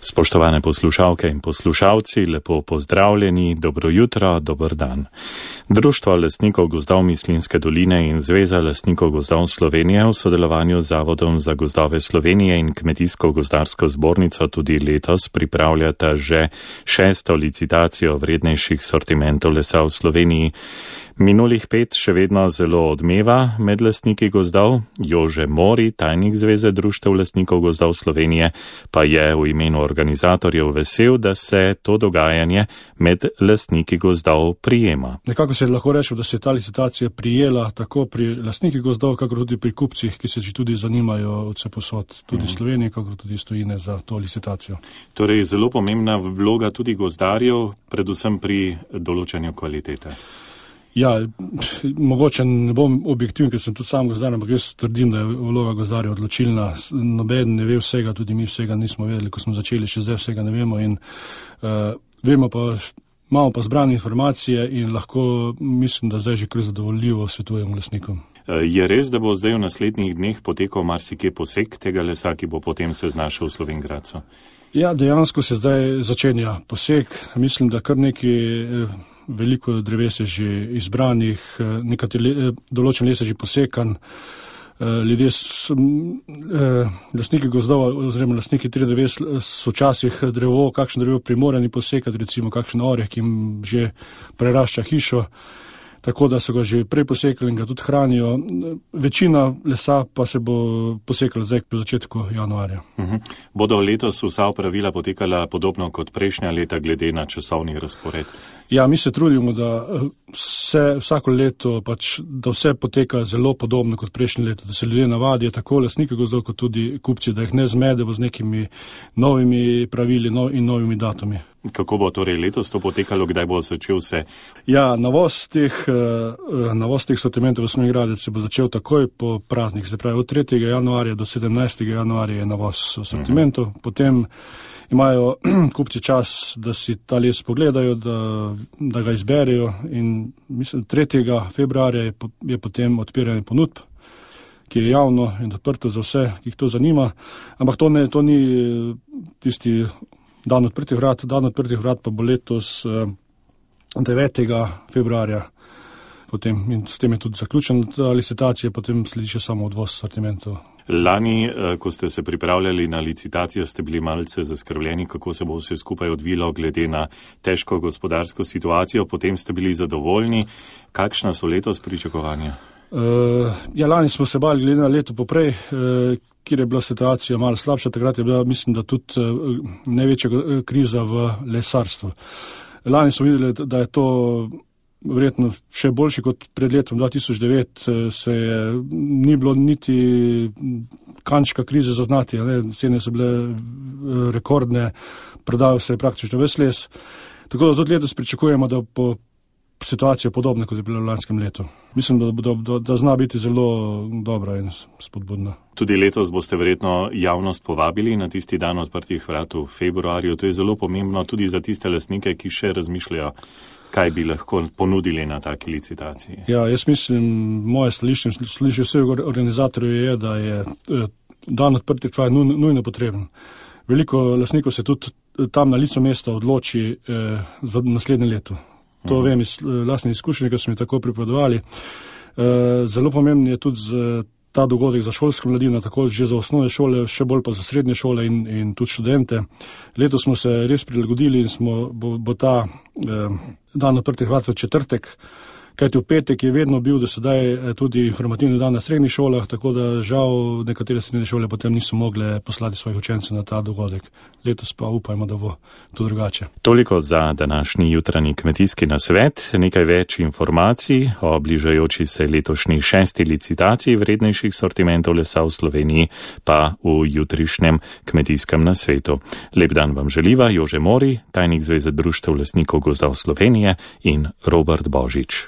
Spoštovane poslušalke in poslušalci, lepo pozdravljeni, dobro jutro, dober dan. Društvo lastnikov gozdov Mislinjske doline in Zveza lastnikov gozdov Slovenije v sodelovanju z Zavodom za gozdove Slovenije in Kmetijsko-gozdarsko zbornico tudi letos pripravljata že 6. licitacijo vrednejših sortimentov lesa v Sloveniji. Minulih 5 še vedno zelo odmeva med lastniki gozdov. Jože Mori, tajnik Zveze društev lastnikov gozdov Slovenije, pa je v imenu organizatorjev vesel, da se to dogajanje med lastniki gozdov prijema. Nekako se lahko reče, da se je ta licitacija prijela tako pri lastnikih gozdov, kakor tudi pri kupcih, ki se že tudi zanimajo od vse posod, tudi Slovenije, kakor tudi stojine za to licitacijo. Torej zelo pomembna vloga tudi gozdarjev, predvsem pri določanju kvalitete. Ja, mogoče ne bom objektiven, ker sem tudi sam gozdar, ampak jaz trdim, da je vloga gozdarja odločilna. Noben ne ve vsega, tudi mi vsega nismo vedeli, ko smo začeli, še zdaj vsega ne vemo in imamo pa zbrane informacije in lahko mislim, da zdaj že kar zadovoljivo svetujemo lastnikom. Je res, da bo zdaj v naslednjih dneh potekal marsikje posek tega lesa, ki bo potem se znašel v Slovenj Gradcu? Ja, dejansko se zdaj začenja posek. Mislim, da kar nekaj veliko dreves je že izbranih, določen les je že posekan. Ljudje, lastniki gozdov oziroma lastniki tri dreves so včasih kakšno drevo primorani posekati, recimo kakšen oreh, ki jim že prerašča hišo, tako da so ga že prej posekali in ga tudi hranijo. Večina lesa pa se bo posekala zdaj po začetku januarja. Bodo letos vsa opravila potekala podobno kot prejšnja leta glede na časovni razpored? Ja, mi se trudimo, da vsako leto da vse poteka zelo podobno kot prejšnje leto, da se ljudje navadijo, tako lastniki gozdov kot tudi kupci, da jih ne zmedemo z nekimi novimi pravili in novimi datumi. Kako bo torej letos to potekalo, kdaj bo začel se? Ja, navoz teh sortimentov v Slovenj Gradec se bo začel takoj po praznik, se pravi od 3. januarja do 17. januarja je navoz sortimentov, potem imajo kupci čas, da si ta les pogledajo, da ga izberejo in mislim, 3. februarja je potem odpiranje ponudb, ki je javno in odprto za vse, ki jih to zanima, ampak to ni tisti dan odprtih vrat pa bo letos 9. februarja potem in s tem je tudi zaključena ta licitacija, potem sledi še samo odvoz sortimentov. Lani, ko ste se pripravljali na licitacijo, ste bili malce zaskrbljeni, kako se bo vse skupaj odvilo glede na težko gospodarsko situacijo, potem ste bili zadovoljni. Kakšna so letos pričakovanja? Ja, lani smo se bali glede na leto poprej, kjer je bila situacija malo slabša, takrat je bila, mislim, da tudi največja kriza v lesarstvu. Lani smo videli, da je to verjetno še boljši kot pred letom 2009, ni bilo niti kančka krize zaznati, cene so bile rekordne, prodajal se je praktično ves les, tako da tudi letos pričakujemo, da bo situacija podobna, kot je bila v lanskem letu. Mislim, da zna biti zelo dobra in spodbudna. Tudi letos boste verjetno javnost povabili na tisti dan odprtih vrat v februarju. To je zelo pomembno tudi za tiste lastnike, ki še razmišljajo, kaj bi lahko ponudili na taki licitaciji. Ja, jaz mislim, moje stališče vseh organizatorjev je, da je dan odprtih vrat nujno potreben. Veliko lastnikov se tudi tam na licu mesta odloči za naslednje leto. To vem iz lastne izkušnje, ki so mi tako pripovedovali. Zelo pomemben je tudi ta dogodek za šolsko mladino, tako že za osnovne šole, še bolj pa za srednje šole in tudi študente. Letos smo se res prilagodili in bo ta dan odprtih vrat v četrtek, kajti v petek je vedno bil do sedaj tudi informativni dan na srednjih šolah, tako da žal nekatere srednje šole potem niso mogle poslati svojih učencev na ta dogodek. Letos pa upajmo, da bo to drugače. Toliko za današnji jutranji kmetijski nasvet. Nekaj več informacij o bližajoči se letošnji 6. licitaciji vrednejših sortimentov lesa v Sloveniji pa v jutrišnjem kmetijskem nasvetu. Lep dan vam želiva Jože Mori, tajnik Zveze društev lastnikov gozdov Slovenije in Robert Božič.